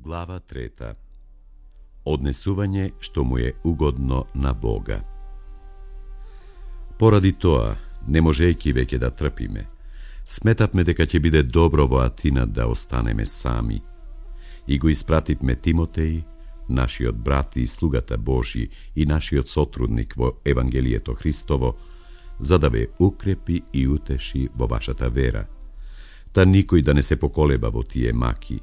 Глава 3. Однесување што му е угодно на Бога. Поради тоа, не можејќи веќе да трпиме, сметавме дека ќе биде добро во Атина да останеме сами. И го испративме Тимотеј, нашиот брат и слугата Божји и нашиот сотрудник во Евангелието Христово, за да ве укрепи и утеши во вашата вера, та никој да не се поколеба во тие маки,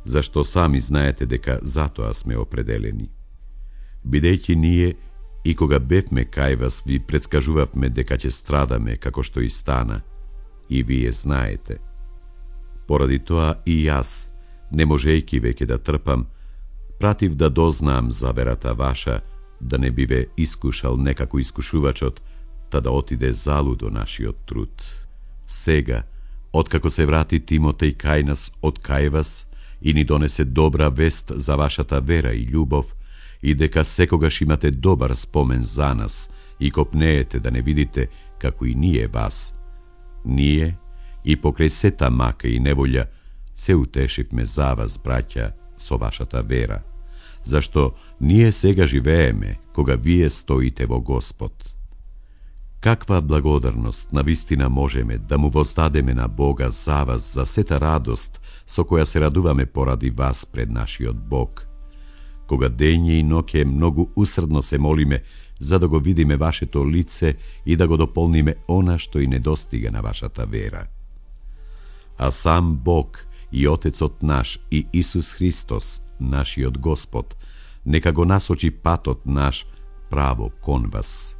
зашто сами знаете дека затоа сме определени. Бидејќи ние, и кога бевме кај вас, ви предскажувавме дека ќе страдаме како што и стана, и вие знаете. Поради тоа и јас, не можејќи веќе да трпам, пратив да дознаам за верата ваша, да не биве искушал некако искушувачот, та да отиде залудо нашиот труд. Сега, откако се врати Тимотеј кај нас од кај вас, и ни донесе добра вест за вашата вера и љубов, и дека секогаш имате добар спомен за нас и копнеете да не видите како и ние вас. Ние, и покрај сета мака и неволја, се утешивме за вас, браќа, со вашата вера, зашто ние сега живееме кога вие стоите во Господ. Каква благодарност навистина можеме да му воздадеме на Бога за вас, за сета радост со која се радуваме поради вас пред нашиот Бог, кога дење и ноќе многу усрдно се молиме за да го видиме вашето лице и да го дополниме она што и недостига на вашата вера. А сам Бог и Отецот наш и Исус Христос, нашиот Господ, нека го насочи патот наш право кон вас.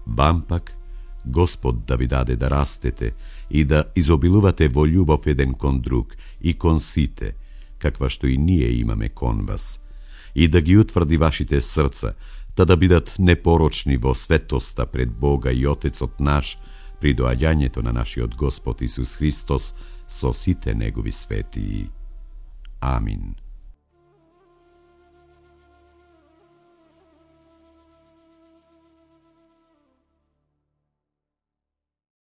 Вам пак, Господ да ви даде да растете и да изобилувате во љубов еден кон друг и кон сите, каква што и ние имаме кон вас, и да ги утврди вашите срца, та да бидат непорочни во светоста пред Бога и Отецот наш при доаѓањето на нашиот Господ Исус Христос со сите негови светии. Амин.